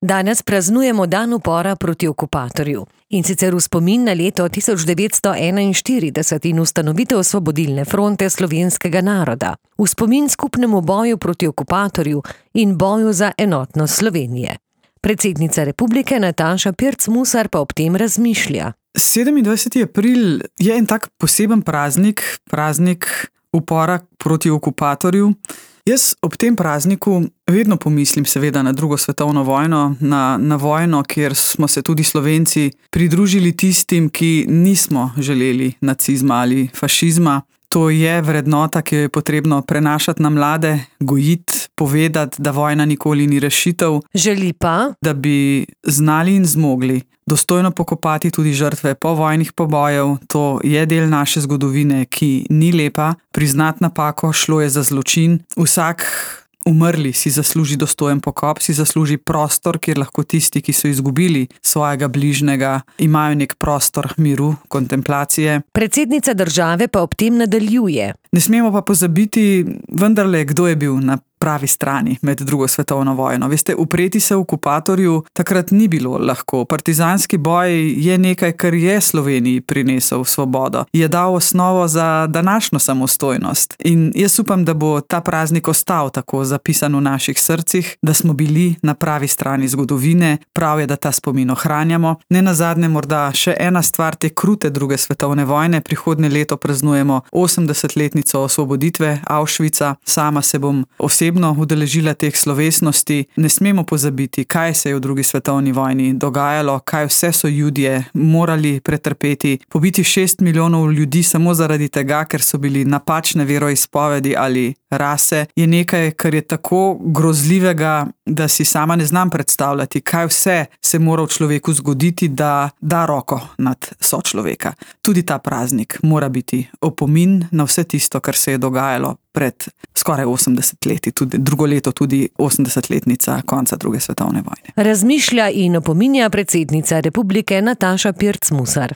Danes praznujemo dan upora proti okupatorju. In sicer v spomin na leto 1941 in ustanovitev Osvobodilne fronte slovenskega naroda. V spomin skupnemu boju proti okupatorju in boju za enotnost Slovenije. Predsednica republike Nataša Pirc Musar pa ob tem razmišlja. 27. april je en tak poseben praznik upora proti okupatorju. Jaz ob tem prazniku vedno pomislim seveda na drugo svetovno vojno, na vojno, kjer smo se tudi Slovenci pridružili tistim, ki nismo želeli nacizma ali fašizma. To je vrednota, ki jo je potrebno prenašati na mlade, gojiti, povedati, da vojna nikoli ni rešitev. Želi pa, da bi znali in zmogli dostojno pokopati tudi žrtve povojnih pobojev. To je del naše zgodovine, ki ni lepa. Priznati napako, šlo je za zločin. Vsak umrli si zasluži dostojen pokop, si zasluži prostor, kjer lahko tisti, ki so izgubili svojega bližnjega, imajo nek prostor miru, kontemplacije. Predsednica države pa ob tem nadaljuje. Ne smemo pa pozabiti vendarle, kdo je bil na pravi strani med drugo svetovno vojno. Veste, upreti se okupatorju takrat ni bilo lahko. Partizanski boj je nekaj, kar je Sloveniji prinesel svobodo. Je dal osnovo za današnjo samostojnost. In jaz upam, da bo ta praznik ostal tako zapisan v naših srcih, da smo bili na pravi strani zgodovine. Prav je, da ta spomin ohranjamo. Nenazadnje morda še ena stvar te krute druge svetovne vojne. Prihodnje leto praznujemo 80-letnico osvoboditve Auschwitza. Sama se bom osebno udeležila teh slovesnosti. Ne smemo pozabiti, kaj se je v drugi svetovni vojni dogajalo, kaj vse so Judje morali pretrpeti. Pobiti 6 milijonov ljudi samo zaradi tega, ker so bili napačne veroizpovedi ali rase, je nekaj, kar je tako grozljivega, da si sama ne znam predstavljati, kaj vse se mora v človeku zgoditi, da da roko nad sočloveka. Tudi ta praznik mora biti opomin na vse tisto, kar se je dogajalo pred skoraj 80 leti, tudi drugo leto tudi 80-letnica konca druge svetovne vojne. Razmišlja in opominja predsednica republike Nataša Pirc Musar.